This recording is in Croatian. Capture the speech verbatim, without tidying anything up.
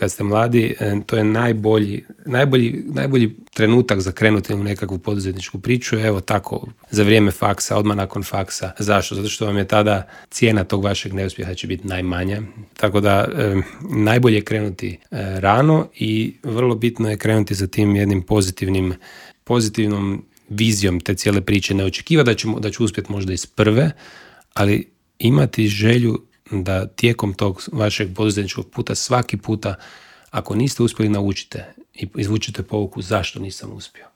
kad ste mladi, to je najbolji, najbolji, najbolji trenutak za krenuti u nekakvu poduzetničku priču. Evo tako, za vrijeme faksa, odmah nakon faksa. Zašto? Zato što vam je tada cijena tog vašeg neuspjeha će biti najmanja. Tako da e, najbolje je krenuti e, rano i vrlo bitno je krenuti za tim jednim pozitivnim, pozitivnom vizijom te cijele priče. Ne očekiva da, ćemo, da ću uspjeti možda iz prve, ali imati želju da tijekom tog vašeg poduzetničkog puta svaki puta, ako niste uspjeli, naučite i izvučite pouku zašto nisam uspio.